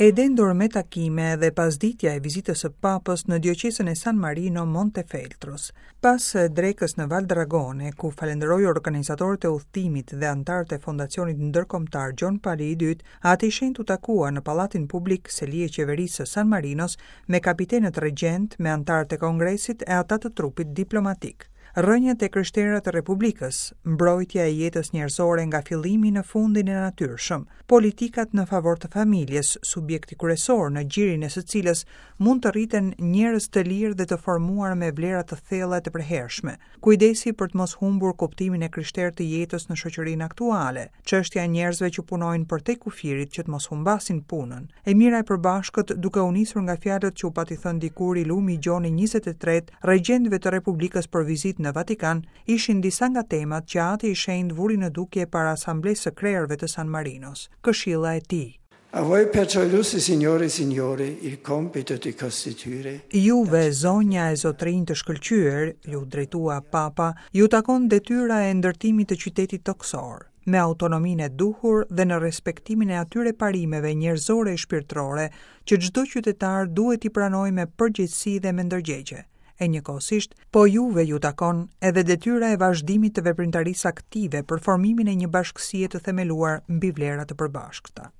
E dendur me takime edhe pasditja e vizitës së Papës në dioqezën e San Marino Montefeltros. Pas drekës në Valdragone, ku falënderoi organizatorët e udhëtimit dhe anëtarët e Fondacionit Ndërkombëtar Gjon Pali i Dytë, Ati i Shenjtë u takua në Pallatin Publik, seli e qeverisë së San Marinos, me kapitenët regjentë, me anëtarët e Kongresit e ata të trupit diplomatik. Rrënjët e krishtera të Republikës, mbrojtja e jetës njerëzore nga fillimi në fundin e natyrshëm, politikat në favor të familjes, subjekti kryesor në gjirin e së cilës mund të rriten njerëz të lirë dhe të formuar me vlera të thella e të përhershme, kujdesi për të mos humbur kuptimin e krishterë të jetës në shoqërinë aktuale, çështja e njerëzve që punojnë përtej kufirit që të mos humbasin punën, e mira e përbashkët duke u nisur nga fjalët që u pati thënë dikur i lumi Gjoni 23 regjentëve të Republikës për vizitë në Vatikan, ishin disa nga temat që Ati i Shenjtë vuri në dukje para Asamblesë së Krerëve të San Marinos. Këshilla e tij. A voi perciò illustri signore e signore il compito di costituire. Juve, zonja e zotërinj të shkëlqyer, iu drejtua Papa, ju takon detyra e ndërtimit të qytetit tokësor, me autonominë e duhur dhe në respektimin e atyre parimeve njerëzore e shpirtërore që çdo qytetar duhet t'i pranojë me përgjegjësi dhe me ndërgjegje. E njëkohësisht, po juve ju takon edhe detyra e vazhdimit të veprimtarisë aktive për formimin e një bashkësie të themeluar mbi vlera të përbashkëta.